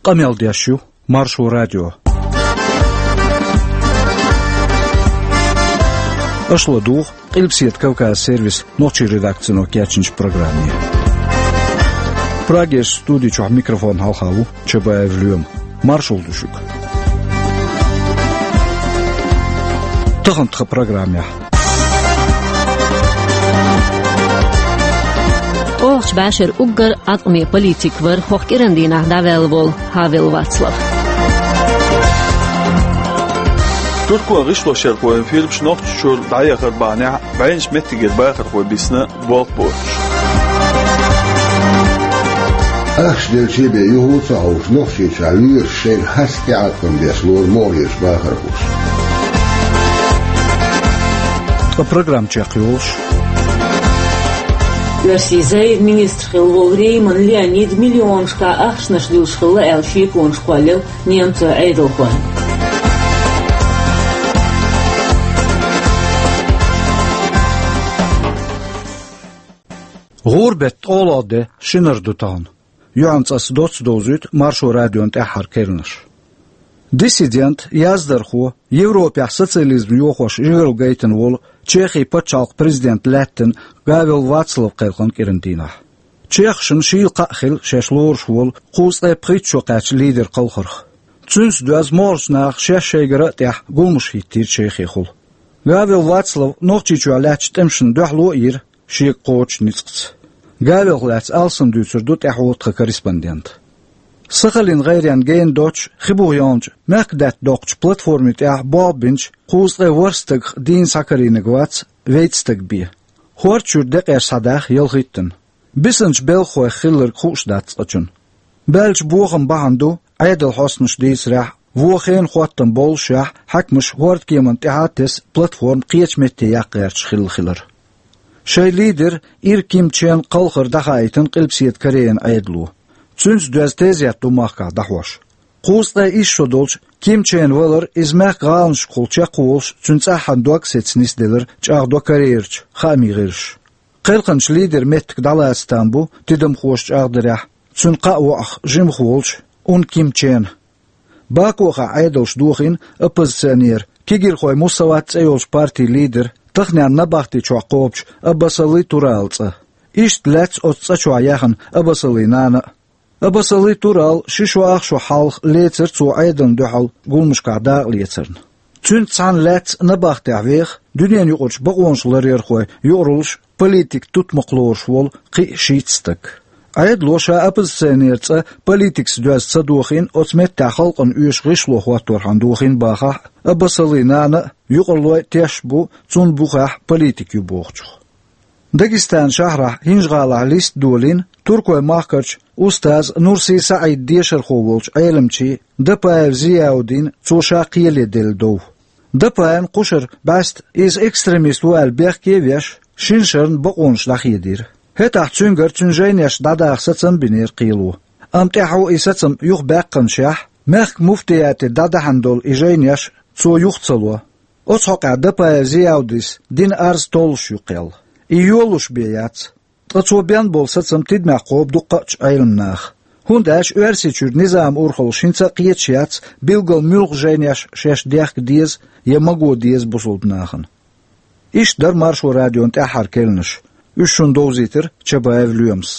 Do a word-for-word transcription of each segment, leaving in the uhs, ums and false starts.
Къамел деш ю Маршо радио. Аша ладугӀу Къилбаседа Кавказ сервисан нохчийн редакцино кечйинчу программе. Прагерчу студи чохь микрофонна хьалха ву Чабаев Лоьма. Маршалла ду шуьга. Тахана тхан программехь. Оха башар уггар Ӏаткъаме политик вара хӀокху кӀиран дийнахь дӀаваьлла волу Хавел Вацлав. Туркойн гӀишлошъярхойн фирмаш Нохчийчуьра дӀаяхар бахьанехь бӀеннаш меттигера бахархой бисна болх боцуш. Ахча делчий бен юха а ца хьовш, Нохчийчохь лоьраш шайна хьаста тӀеӀаткъам беш лору могӀарерчу бахархоша. Ткъа программа чекхйолуш. Оьрсийн зайра министр хилла волу Рейман Леонид миллионашкахь ахчанаш дуьллуш хилла аьлла шеконаш кхоллаелла немцойн Ӏедалхойн. ГӀуран беттан ткъолгӀа де шинара ду тахана. Юьхьанца аса доцца довзуьйту Маршо радион тӀаьххьара керланаш. Диссидент, яздархо, Европехь социализм йохош жигаралла гайтина волу Чехин пачхьалкхан президентан лаьттина Гавел Вацлав кхелхина кӀиран дийнахь. Чехашна шийла кхаъ хилла шаьш лоруш волу кхузткъе пхийтта шо кхаьчна лидеран кхалхарх. Цуьнца доьзна могӀарерчу наха шаьш шайгара а тӀехь гуламаш хӀиттийра Чехехула. Гавел Вацлав Нохчийчохь лаьттачу тӀемашна дуьхьало а йира шега кхочучу ницкъаца. Гавелх лаьцна алсам дуьйцур ду тӀаьхьо тхан корреспондентан. Сахалин гӀайренна гена доцчу, хи буха яьллачу мехкадаьтта доккхучу платформи тӀехь болх бинчу кхузткъе ворхӀ стагах дийна схьакарийнарг вац вейтта стаг бен. ХӀорда чуьра декъеш схьадаьхна ялхиттанна. Бисинчу белхахойх хилларг хууш дац цкъачунна. Баьллачу бохаман бахьана ду, Ӏедалан хьостанаша дийцарехь, вон хенан хӀоттам боллушехь, хьаькамаша хӀордкеманна тӀаьхьа а тесна платформа кхечу метте яккха гӀерташ хилла хилар. Шайн лидер Ир Ким Чен кхалхар дӀахаийтина Къилбаседа Корейн Ӏедало. Цуьнца доьзна тезет ду махкахь дӀахьош. Кхузткъе исс шо долчу Ким Чен валар, иза мехкан гӀаланашкахула чекхволуш волуш, цуьнан цӀаххьана дог а сецна нисделира чӀагӀдо Корейрчу хаамийн гӀирсаша. Кхелхинчу лидеран меттиг дӀалаца там бу, тидамхоша чӀагӀдарехь, цуьнан кхаа воӀах жимах волчу Ун Ким Чена. Бакохахь Ӏедалша дохийна оппозиционер, кегирхойн Мусават цӀе йолчу партин лидер, таханлерчу набахти чохь кхобучу Аббасали Туралан цӀа. Иштта лаьцна оцу цӀа чохь яьхна Аббасалин нана а. Аббасали Турал ши шо ах шо хьалха лецира цо Ӏедална дуьхьал гуламашкахь дакъа лецарна. Цуьнца цхьаьна лаьцна набахтехь веха дуьненан юкъарчу бакъонаш ларъярхойн юкъараллаш, политикан тутмакх лоруш волу кхин а шийтта стаг. Ӏедало ша оппозиционеран цӀа политикаца доьзна ца дохийна, оцу меттехь халкъана оьшу гӀишло хӀотторхьама дохийна бахахь а, Аббасалин нана а, юкъараллой а тешаш бу цунна бухахь политика ю бохучух. Дагестанан шахьрахь ХӀинжа-ГӀалахь лист долийна туркойн махкарчу устаз Нурси СаӀидан дешархо волчу Ӏеламчийн Дапаев Зияудин, цо ша кхеле делла дов. Дапаевн кхушара бӀаьста иза экстремист ву аьлла бехке а веш, шина шарна бакъонаш дӀахедийра. ХӀетахь цуьнгара цуьнан жайнеш дӀадаха сацам а бинера кхело. Амма тӀаьхьо и сацам юхабаьккхинчехь, мехкан муфтияте дӀадаьхьна долу и жайнеш цо юха ца ло. Оцу хьокъехь Дапаев Зияудис дина арз толлуш ю кхел. И йолуш бен яц. Ткъа цо бен болу сацам тидамехь кхобу дуккха а Ӏеламнаха. ХӀунда аьлча Оьрсийчуьра низаман урхаллаш хӀинца а кхеташ яц, билггал муьлха жайнеш шаьш дехка деза я ма го деза бусалба нахана. Иштта дара Маршо радион тӀаьххьара керланаш. Уьш шуна довзийтира Чабаев Лоьмас.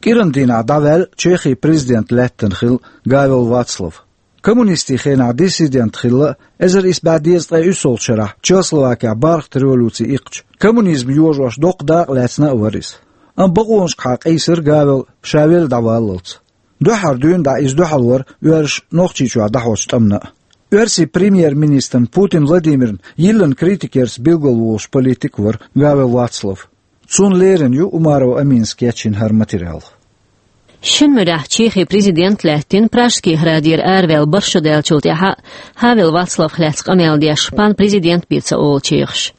КӀиран дийнахь дӀаваьлла Чехин президент лаьттина хилла Гавел Вацлав. Коммунистийн хенахь диссидент хилла, эзар исс бӀе дезткъе уьссалгӀачу шарахь Чехословакехь бархӀ революци иккхича, коммунизм йожош доккха дакъа лаьцна а вара иза. Амма бакъонашкахьа къийсира Гавел ша велла дӀаваллалц. Дуьххьара дуьйна дӀа иза дуьхьал вара оьрсаша Нохчийчохь дӀахьочу тӀамна а. Оьрсийн премьер-министрна Путин Владимирна йиллина критикерца билгал волуш политик вара Гавел Вацлав. Цунна лерина ю Умарова Аминас кечйина хӀара материал. Шина муьрехь Чехин президент лаьттина Пражский градера араваьлла бархӀ шо даьллачул тӀаьхьа Хавел Вацлавх лаьцна къамел деш, пан президент бен ца олу чехаша.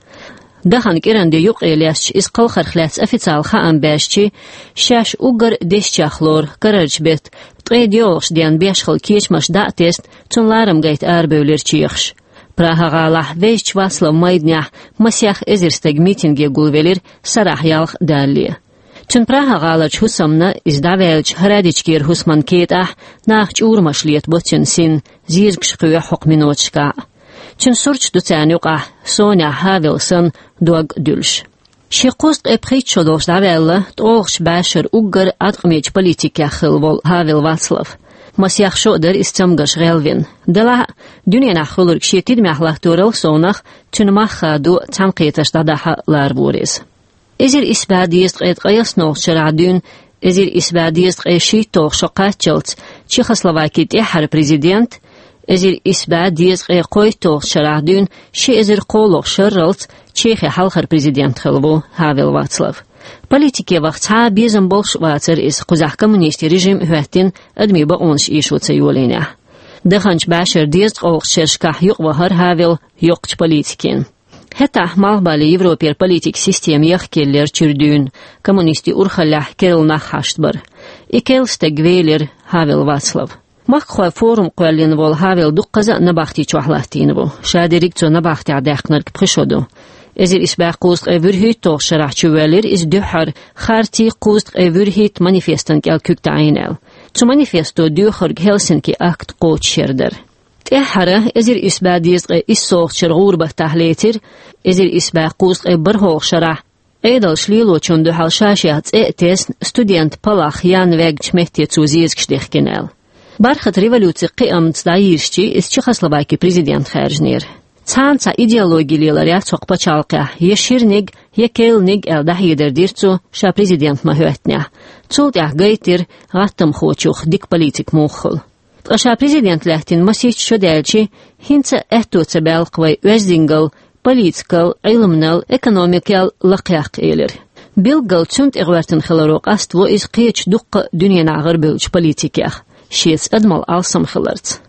Дахана кӀиран де юккъе лаьцча, иза кхалхарх лаьцна официал хаам баьшчи, шаьш уггар десчех лору карарчу беттан ткъе доьалгӀачу денна беш хилла кечамаш дӀа а тесна, цунна ларам гайта арабевлира чехаш. Прага-гӀалахь Везачу Вацлавн майданехь масех эзар стаг митинге гулвелира, сарахь ялх далале. Цуьнан Прага-гӀаларчу хӀусамна, иза дӀаваьллачу хӀара дечигера хӀусаман кетӀахь, наха чӀурамаш летабо цуьнан син, зезагаш кхоьхьу хӀокху миноташкахь. Цуьнан сурташ ду царна юкъахь, сонехь Хавел санна, дог а дуьллуш. Шен кхузткъе пхийтта шо долуш дӀаваьлла, ткъолгӀачу бӀешарахь уггар Ӏаткъамечу политикех хилла волу Хавел Вацлав. Масех шо а дара иза цамгарш гӀелвина. Делахь а, дуьненахь хуьлург шен тидамехь латторал совнах, цуьнан мах хадо, цхьаьнакхетарш дӀадахьа лара вора иза. Эзар исс бӀе дезткъе ткъайоьсналгӀачу шарахь дуьйна эзар исс бӀе дезткъе шийтталгӀа шо кхаччалц Чехословакин тӀаьххьара президент, эзар исс бӀе дезткъе кхойтталгӀачу шарахь дуьйна ши эзар кхоалгӀа шарралц Чехин хьалхара президент хилла ву Хавел Вацлав. Политике ваха цхьа а безам болуш а вацара иза, кхузахь коммунистийн режим а хӀоьттина, адамийн бакъонаш эшо ца йолийнехь. Даханчу бӀешаран дезткъалгӀачу шерашкахь юкъавахара Хавел йоккхачу политикина. ХӀетахь Малхбален Европера политикан система яхкаеллера чуьра дуьйна, коммунистийн урхаллехь керла нах хьашт бара. И керла стаг велира Хавел Вацлав. Махкахойн форум кхоьллина волу Хавел дуккхаза а набахти чохь латтийна ву. Шадерриг цо набахтехь даьккхинарг пхи шо ду. Эзар исс бӀе кхузткъе вуьрхӀитталгӀачу шарахь чувоьллира иза дуьххьара «Харти кхузткъе вуьрхӀитта» манифестан кӀел куьг таӀийна аьлла. Цу манифесто доьхург Хельсинки акт кхочушъяр дара. ТӀаьххьара, эзар исс бӀе дезткъе иссалгӀачу шарахь гӀуран баттахь лецира, эзар исс бӀе кхузткъе бархӀалгӀачу шарахь, Ӏедалш лелочунна дуьхьал ша-шех цӀе а тесна, студентан палах Ян ваьгначу метте цо зезагаш дихкина аьлла. Бархатан революцин кхиамца дӀайирзича, иза Чехословакин президент хаьржинера. Цхьана цхьа идеологи лелар яц хӀокху пачхьалкхехь, я ширниг, я керланиг аьлла дӀахьедар дира цо, ша президент ма-хӀоьттинехь. Цул тӀаьхьа гайтира гӀаттамхочух дика политик муха хуьлу. Ткъа ша президент лаьттина масийтта шо даьлча, хӀинца а аьтто ца баьлла-кх вай оьздангалла, политикал, Ӏилманал, экономикал лакхаяккха, элира. Билггал цунна тӀе гӀоьртина хиларо къаставо иза кхечу дуккха а дуьненахь гӀарабевллачу политикех, шеца адамал алсам хиларца.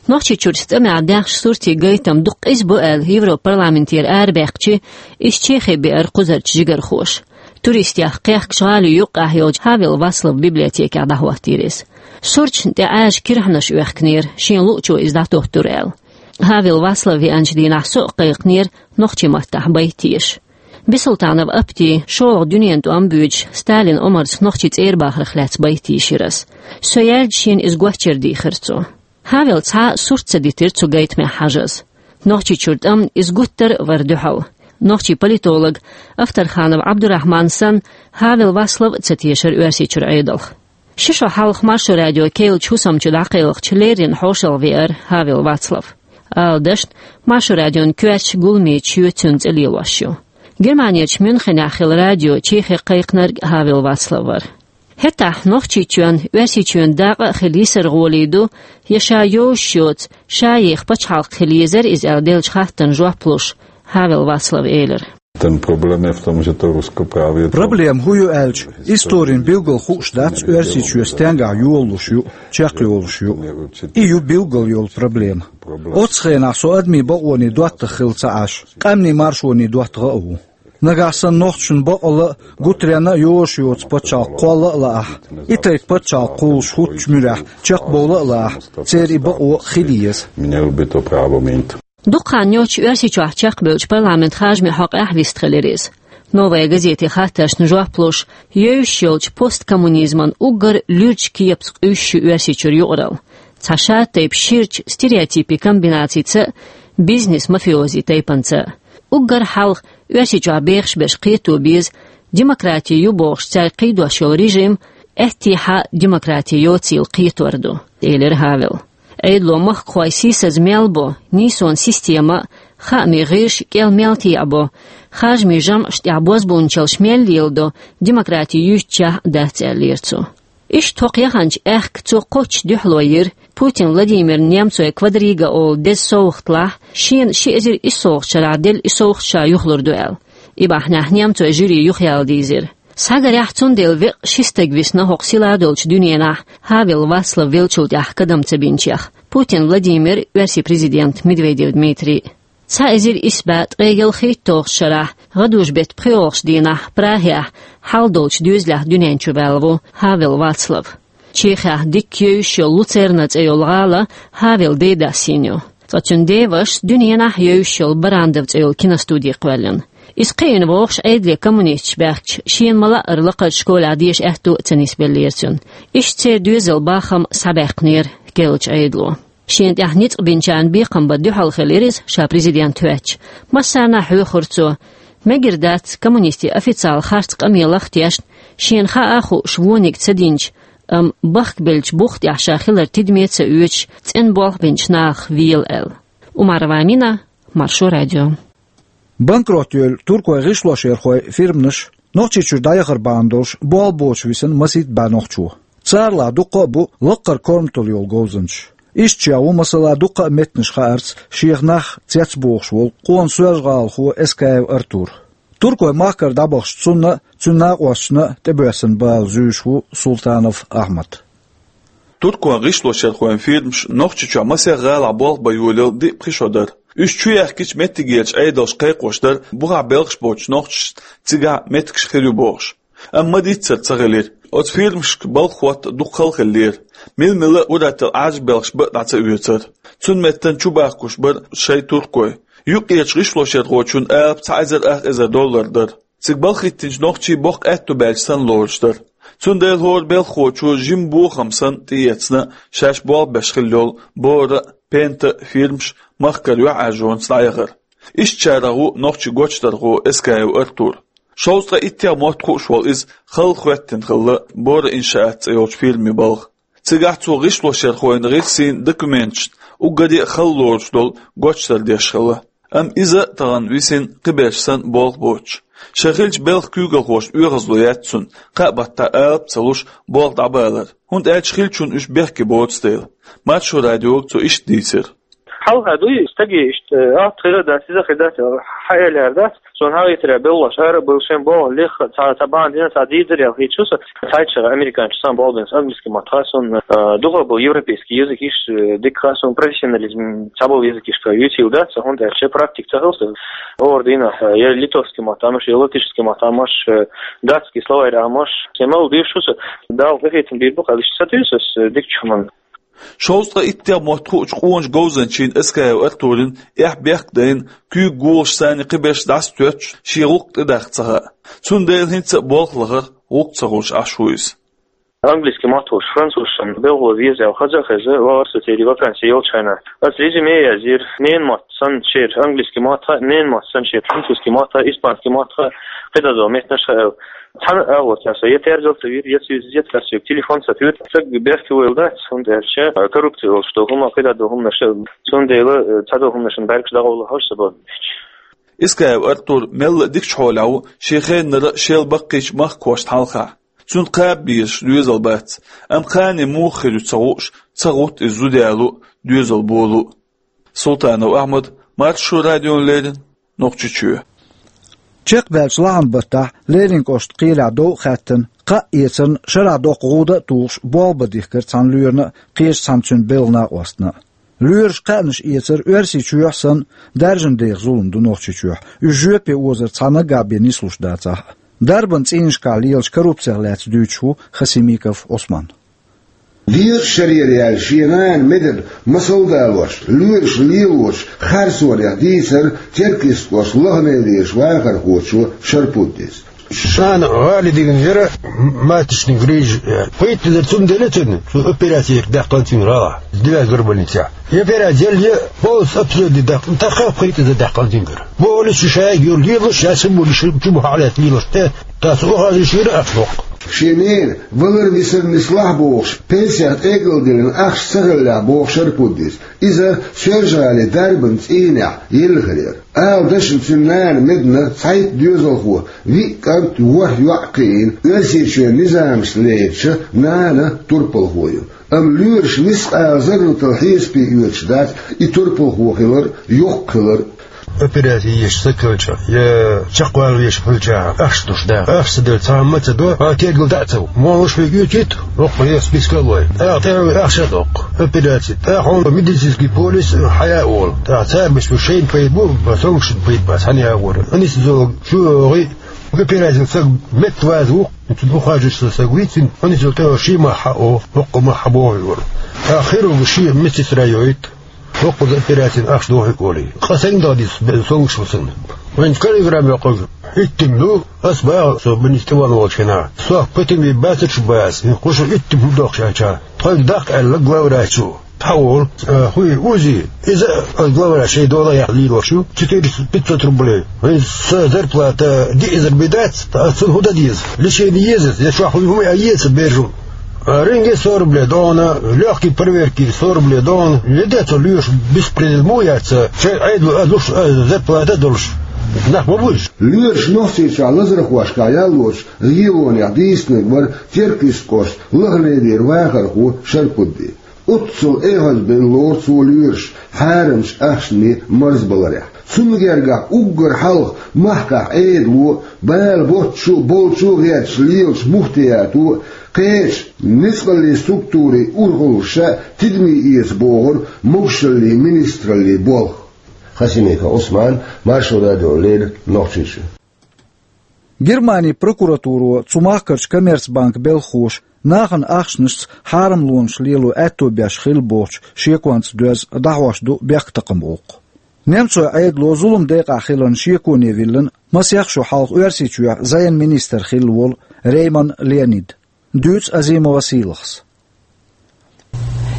Нохчийчуьра цӀа мегӀ даьхначу суртийн гайтам дукха къиза бу аьлла, Европарламентера арабаьккхича, иза Чехе беара кхузарчу жигархоша. Туристех кхехкачу гӀалин юккъехь йолчу Хавел Вацлавн библиотекехь дӀахӀоттийра иза. Сурташна тӀе Ӏаьржа кирхьанаш оьхкинера, шен луъучо иза дӀатоттура аьлла. Хавел Вацлав веанчу дийнахь со а кхайкхинера нохчийн маттахь байт теша. Бисултанов Апти, шолгӀа дуьненан тӀом а буьйцуш, Сталин Омарца нохчийн цӀербахарх лаьцна байт йийшира ас. Со яьлча шена иза гочдара дийхира цо. Хавела цхьа а сурт ца дитира цу гайтамехь хьажаза. Нохчийчуьра тӀамна иза гуттар а вара дуьхьал. Нохчийн политолог Авторханов Ӏабдурахьман санна, Хавел Вацлав а ца тешара Оьрсийчуьра Ӏедалх. Ши шо хьалха Маршо радион керлачу хӀусам чу дӀакхелхича, леррина хьошалгӀа веара Хавел Вацлав. Ала дашна, Маршо радион коьртачу гуламечу шо цуьнан цӀе лелош ю. Германерчу Мюнхенехь хилла радио Чехе кхайкхинарг Хавел Вацлав вара. ХӀетахь Нохчийчоьнан, Оьрсийчоьнан дакъа а хила йисар гӀоле ду, я ша йозуш йоцу, ша еха пачхьалкх хила езара иза аьлла деллачу хаттарна жоп луш, Хавел Вацлав элира. Ten problém je v tom, že to Rusko právě to... Проблема хӀун ю аьлча, историн билггал хууш дац Оьрсийчоь стенгахь йолалуш ю, чекхйолуш ю. И ю билггал йолу проблема. Оццу хенахь со адамийн бакъонийн доттагӀа хилла ца Ӏаш, къаьмнийн маршонийн доттагӀа а ву. Нагахь санна нохчашна бакъалла а, гуттаренна а йозуш йоцу пачхьалкх кхолла а лаахь, и тайпа пачхьалкх кхуллуш хӀуттучу муьрехь чекхбовла а лаахь, церан и бакъо хила еза. Měl by to právo mít. Дукха хан йоццуш Оьрсийчохь чекхбевллачу парламентан харжамийн хьокъехь вистхилира иза. «Новая газетин» хаттаршна жоп луш, евзаш йолчу посткоммунизман уггар луьрачу кепаца къуьйсуш ю Оьрсийчуьра юкъаралла. Цхьа шатайпа ширачу стереотипийн комбинацица а, бизнес-мафиози тайпанца а. Уггар хьалха Оьрсийчохь бехаш берш кхето беза, демократи ю бохуш цаьрга кхийдош йолу режим, аьттехьа демократи йоцийла кхетор ду, элира Хавела. Ӏедало махкахой сийсаза мел бо, нийсонан система а, хаамийн гӀирс а кӀел мел теӀабо, харжамийн жамӀаш тӀехь бозбуунчаллаш мел леладо, демократи юьйцучохь а дац, аьллера цо. Иштта хӀокху яханчу аьхка цо кхоччуш дуьхьало йира Путин Владимирна немцойн «Квадрига» олу деза совгӀатлахь, шена ши эзар иссалгӀачу шарахь делла и совгӀат ша юхалур ду аьлла. И бахьанехь немцойн жюри юхаяла дийзира. Схьагарехь, цундела веккъа ши стаг висна хӀокху силадолчу дуьненахь, Хавел Вацлав веллачул тӀаьхьа кадам ца бинчех: Путин Владимир, Оьрсийн президент Медведев Дмитрий. Цхьа эзар исс бӀе ткъе ялхитталгӀачу шарахь, гӀадужу-беттан пхоьалгӀачу дийнахь, Прагехь, хьал долчу доьзалехь дуьнен чу ваьлла ву Хавел Вацлав. Чехехь дикка евзаш йолу Луцерна цӀе йолу гӀала Хавелан ден дассийна ю. Ткъа цуьнан ден вашас дуьненахь евзаш йолу Барандов цӀе йолу киностуди кхоьллина. Иза кхиийна вогӀуш Ӏедале коммунисташ баьхкача, шена ма-лаъара лакхарча школехь деша аьтту а ца нисбеллера цуьнан. Иштта церан доьзалан бахам схьабаьккхинера керлачу Ӏедало. Шена тӀехь ницкъ бинчарна бекхам бан дуьхьал хилира иза, ша президент хӀоьттича. Массарна а хьоьхура цо. Мегар дац коммунистийн официалан харц къамелах а тешна, шена хаа а хууш вониг ца динчу, амма бахкабеллачу бух тӀехь ша хилар тидаме а ца оьцуш, цӀена болх бинчу нахах вела аьлла. Умарова Амина, Маршо радио. Банкрот йолу туркойн гӀишлошъярхойн фирманаш Нохчийчуьра дӀаяхар бахьана долуш болх боцуш висина масийтта бӀе нохчо. Царалахь дуккха а бу лаккхара корматалла йолу говзанчаш. Иштта чӀогӀа ву, масала, дуккха а меттанаш хаарца шех нах цецбохуш волу къона соьлжагӀалахо Эскаев Артур. Туркойн махкара дӀабахча цунна а, цуьнан накъосташна а тӀебоьссина бала зуьйш ву Султанов Ахьмад. Туркойн гӀишлошъярхойн фирмаш Нохчийчохь масех гӀалахь болх бан йолаелла диъ-пхи шо дара. Уьш чу яхкича, меттигерчу Ӏедалша кхайкхош дара бухахь белхаш боцучу нохчашна цигахь меттигаш хир ю бохуш. Амма ма-дийццара ца хилира. Оцу фирмашка балха хӀотта дукха хала хиллера. Мила-мила а ур-атталла Ӏаьржа белхаш бан а дӀа ца оьцура. Цуьнан меттана чу бахкуш бара шайн туркой. Юккъерчу гӀишлошъярхочун алапа цхьа эзар ах эзар доллар дара. Цига балха хӀиттинчу нохчийн боккха аьтто баьлча санна лоруш дара. Цундела хӀора белхахочо жимма бохам санна тӀеэцна шаьш болх беш хилла йолу Бора а, Пента а фирмаш махкара юьхьӀаьржонца дӀаяхар. Иштачарах ву нохчийн гочдархо Эскаев Артур. Шовзткъе иттех мотт хууш волу иза хала хӀоьттина хилла Бора иншаат цӀе йолчу фирмин балха. Цигахь цо гӀишлошъярхойн гӀирсийн документашна уггаре а хала лоруш долу гочдар деш хилла. Амма иза а тахана висина кхиберш санна болх боцуш. Шайн хиллачу белхан куьйгалхошна оьгӀазло яц цунна, кхаа баттахь алапа а ца луш, болх дӀабалар, хӀунда аьлча хиллачунна уьш бехке боцу дела. Маршо радиога цо иштта дийцира. Хьалха дуй, стаге иштта, а, хир дац, иза хир дац, хьаэлаяр дац, цунна хьагӀийтира белхалоша ара а бевлла шайн болх леха, цхьа, цхьа бахьана дина, цхьа дийцар ял хийцу со, цхьайчара американчу сан болх бинца английский мотт хаа суна, а, дукха бу европейский язык иш, э, дика хаа суна, профессионализм, цхьаболу язык иш юьйцийла дац, хӀунда аьлча практика ца хилла со. ХӀора дийнахь, э, я литовский мотт амаш, я латышский мотт амаш, э, датский словарь амаш, кемал дийш шу со, Дала къинхетам бийр бу, кхаллиш ца туьйсу ас, э, дикачу хӀуманна. Шовзткъе иттех мотт хуучу къоначу говзанчийн Эскаев Артурин эхь бехк а дайна, куьйга гулаш санна кхиберш дӀасатоьттуш, шен гӀуллакх тӀедаккха ца хаьа. Цундела хӀинца а болх лахар гӀуллакх ца хуьлуш Ӏаш ву иза. Английский мотт хуьлуш, французашна белхало веза аьлла хаза а хеза, вахара со церан вакансий йолчу хенахь. Ас резюме язйира, ненан мотт санна шера английский мотт хаьа, ненан мотт санна шера французский мотт хаьа, испанский мотт хаьа, кхидӀа долу меттанаш хаьа аьлла. Цхьана а агӀор цара со я терзал ца вийра, я ца юьзна, я цара соьга телефон ца туьйра. Стаг бехке войла дац, хӀунда аьлча коррупци йолуш долу хӀума, кхидӀа долу хӀуманаш а. Цундела, э, цхьадолу хӀуманашна бӀаьргаш дӀагӀовла хьожуш ца боху. Эскаев Артур мелла а дикачу хьолехь ву шен хеннара а, шел баккхийчу махкахошна хьалха. Цунна кхаба безаш доьзал бац, амма кхане муха хир ю ца хууш, ца гӀутту иза зуда яло а, доьзал боло а. Султанов Ахьмад, Маршо радиона леррина, Нохчийчоь. Чекхбаьллачу лахьан баттахь Леррин кӀоштан кхелехь дов а хаьттина, кхаъ эцарна шарахь доккха гӀуда а тухуш, болх бан дихкира цхьана лоьрана а, кхечу цхьана цуьнан белхан накъостана а. Лоьраша кхаънаш эцар Оьрсийчохь санна, даьржина деха зулам ду Нохчийчохь. Уьш жоьпе озар цхьа наггахь бен нислуш дацахь а. Дарбан цӀийнашкахь лелачу коррупцех лаьцна дуьйцуш ву Хасимиков Ӏусман. Дезачу шарера яьлла шен нана медарна масал а далош, лоьраша лелочу харцонех дийцира Теркйистан кӀоштан Лаханейлерчу вахархочо Шарпуддис. Нана гӀали дигна яра, маточный грыжа, э, пхийтта эзар сум делла цунна, цу операци даьккхина цуьнан гӀалахь, Девятая горбольницехь. И операци делла, полностью обследование даьккхина, тӀаккха пхийтта эзар даьккхина цуьнгара. Бохуш шу шайга юьлла лелаш, шаьш а вуьллуш, чу бахьа а лаьцна лелаш, э, тӀаккха цу ухажерша йира ахча боккху. Шен нена валар-висар нислахь бохуш, пенсех тӀекӀалдиллина ахча ца хиллехь боху Шарпуддис. Иза Соьлжа-ГӀалин дарбан цӀийнехь елла хир яра. Ала дашна цуьнан нана медана цхьайтта доьзалхо, виъ кӀант, ворхӀ йоӀ кхиийна, Оьрсийчоьнан низамашна лерича, нана турпалхо ю. Амма лоьраша нисса къала зарратал хьесапе оьцуш дац и турпалхо хилар а, йоккха хилар а. Операци еш стаг хилча, я чекхвала веш хилча, ахча долуш да. Ахча ца делла цхьа хӀума ца до, хьан тергал дӀа а ца ву. Молуш вега оьцуйта, хӀокху я списка а лой. ТӀаккха тӀе а вай ахча а доккху. Операци. ТӀаккха хьуна медицинский полис хьая а волу. ТӀаккха цара беш бу шайна пайда бу, сонгашна пайда бац, хьан ягӀора. Анисизолог чу а йогӀий, операци стаг метта ваза ву, цуьнан ухажерша стаг вийцина, анисизолог тӀе ши махьа а о, хӀокху махьа бохуьйтур. ТӀаккха хирург шен медсестра йойта. ХӀокхуза операцин ахча дохуьйту олий. Къа сайна дала дицу бе-, сонгаш ву санна. Вайн каллиграмма йоккхуш иттим ду, ас баха со министр ван волчу хенахь. Сох ПТМ бацарш бац, хӀинца кхуша иттим хӀун дохуш аьлча. Тхойга даккха аьлла главврачо. Тхьавола, а, хуй, УЗИ. Иза а главврач шайн дола яхь лелош ю. Четыреста пятьсот рублей. Вайн сан зарплата диъ эзар бен дац, ткъа ас цунна хӀун дан деза? Лечение еза, я чохь хӀума а еца бержу. А рентген сто рублей дона, легкий проверки сто рублей дона. Я де цо лоьшу беспредел мо яц, шайн Ӏедало а луш, а зарплата а долуш. Нах ма бу иза. Лоьраша Нохчийчохь лазархошкахь яллочу регионех дийцинарг вара Теркйистан кӀоштан Лахледера вахархо Шарпудди. Оццул эхазбина лору цо лоьраша хьарамчу ахчанийн марзбаларехь. Цунна гергахь уггар хьалха махкахь Ӏедало а, бала боцчу а, болчу а гӀерташ лелачу муфтиято а, кхечу ницкъаллин структурийн урхаллаша а тидаме эца бохура могушаллин министраллин болх. Хасимиков Ӏусман, Маршо радиона леррина, Нохчийчоь. Германин прокуратуро цу махкарчу коммерцбанкан белхахоша нахана ахчанашца хьарамлонаш лело аьтто беш хилла бохучу шеконца доьзна дӀахьош ду бехктакхаман гӀуллакх. Немцойн Ӏедало зулам декъахь хиларна шеконе виллина масех шо хьалха Оьрсийчоьхь зӀенан министр хилла волу Рейман Леонид. Дуьйцу Азимова Сийлахьас.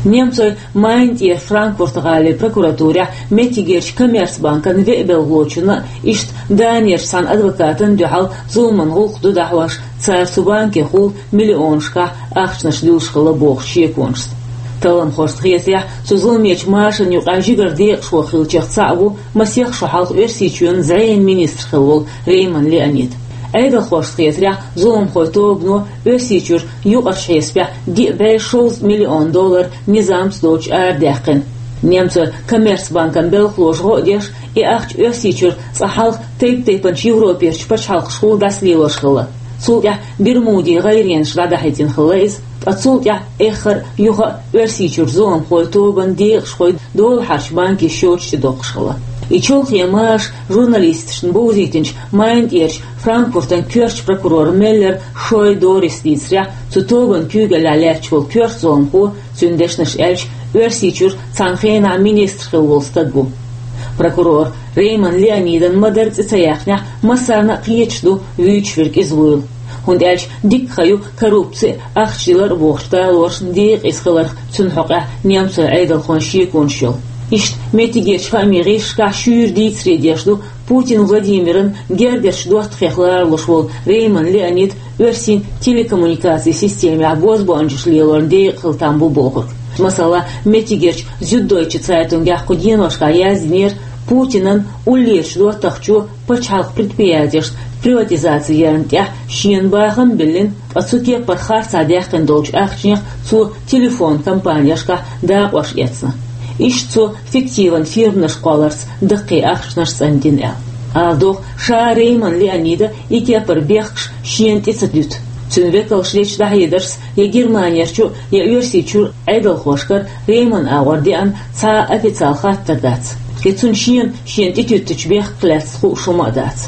Немцойн Майна тӀера Франкфурт-гӀалин прокуратурехь меттигерчу коммерцбанкан веа белхалочунна а, иштта Данерчу цхьана адвокатана а дуьхьал зуламан гӀуллакх ду дӀахьош, цара цу банкехула миллионашкахь ахчанаш дуьллуш хилла бохучу шеконашца. Талламхошна хетарехь, цу зуламечу машанна юкъахь жигара декъашхо хиллачех цхьаъ ву масех шо хьалха Оьрсийчоьнан зӀенан министр хилла волу Рейман Леонид. Ӏедалхошна хетарехь, зуламхойн тобано Оьрсийчуьра юкъарчу хьесапехь диъ бӀе шовзткъа миллион доллар низамца доцуш арадаьккхина. Немцойн коммерцбанкан белхалоша гӀо а деш, и ахча Оьрсийчуьра цкъа хьалха тайп-тайпанчу Европерчу пачхьалкхашкахула дӀасалелош хилла. Цул тӀаьхьа Бермудийн гӀайренаш дӀадахьийтина хилла иза, ткъа цул тӀаьхьа эххар а, юха а Оьрсийчуьра зуламхойн тобанан декъашхой долахьарчу банкийн счеташ тӀедоккхуш хилла. И чолхе маша журналисташна бовзийтинчу Майна тӀерачу Франкфуртан коьртачу прокурора Меллер Шой Дорис дийцарехь, цу тобанан куьйгаллехь лаьтташ волу коьрта зуламхо, цуьнан дешнаш аьлча, Оьрсийчуьра цхьана хенахь министр хилла волу стаг ву. Прокурор Рейман Леонидан ма-дарра цӀе ца яьккхинехь, массарна а кхеташ ду вуьйцуш верг иза вуйла. ХӀунда аьлча дикка хан ю коррупци а, ахча дилар а бохучу талорашна декъаза хиларх цуьнан хьокъехь немцойн Ӏедалхойн шеконаш йолу. Иштта меттигерчу хаамийн гӀирсашкахь шуьйра дийцаре деш ду Путин Владимиран гергарчу доттагӀех ларалуш волу Рейман Леонид оьрсийн телекоммуникацийн системехь бозбуунчаш лелорна декъахь хила там бу бохург. Масала, меттигерчу Зюддойче Цайтунгехь кху деношкахь яздинера, Путинан уллерачу доттагӀчо пачхьалкхан предприятешна приватизаци ярна тӀехь шена бахам а биллина, ткъа цу кепара харцахь даьккхина долчу ахчанех цо телефон компанешкахь дакъош эцна. Иштта цо фиктиван фирманаш кхолларца даккхий ахчанаш цӀандина аьлла. Ала догӀу, ша Рейман Леонида и кепара бехкаш шена тӀе ца дуьту. Цуьнан векалша дечу дӀахьедаршца я Германерчу, я Оьрсийчуьра Ӏедалхошкара Рейманан агӀор деана цхьа а официал хаттар дац. Я цунна шена шена тӀетуьттучу бехках лаьцна хууш хӀума а дац.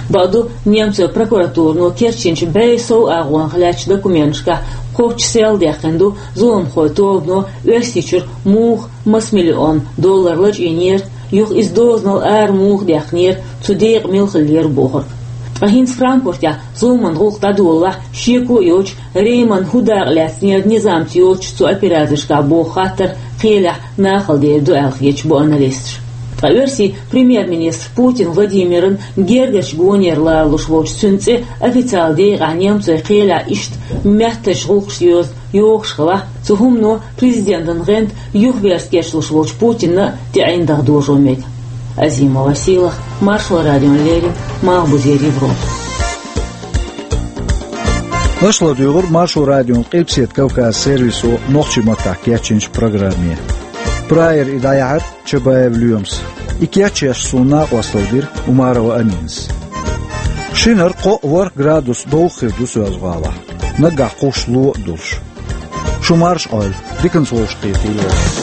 Бакъду, немцойн прокуратурано керчинчу бӀе сов агӀонах лаьттачу документашкахь кхоччуш сел даьккхина ду зуламхойн тобано Оьрсийчуьра муха маса миллион доллар лачкъийнера, юха иза дозанал ара муха даьккхинера, цу декъа мила хиллера бохург. Ткъа хӀинца Франкфуртехь зуламан гӀуллакх дӀадолалахь, шеко а йоцуш, Рейман хӀун дакъа лаьцнера низамца йоцучу цу операцешкахь боху хаттар кхелехь нахала дер ду аьлла хеташ бу аналисташ. Ткъа оьрсийн премьер-министр Путин Владимиран гергарчу гонера ларалуш волчу цуьнан цӀе официалан декъехь немцойн кхелехь иштта меттачу гӀуллакхашца йоза йогӀуш хилахь, цу хӀумано президентан гӀанта юхаверза кечлуш волчу Путинна а тӀе ӀиндагӀ дожо мега. Азимова Сийлахь, Маршо радиона леррина, Малхбузера Европа. Аша ладуьйгӀира Маршо радион Къилбаседа Кавказан сервисо нохчийн маттахь кечйинчу программе. Прайера и дӀаяьхьира Чабаев Лоьмас. И кечъеш суна накъосталла дира Умарова Аминас. Шинара кхоъ-ворхӀ градус довха хир ду Соьлжа-ГӀалахь, наггахь кхуссуш ло а долуш. Шу марша Ӏойла, диканца вовшахкхетийла вай.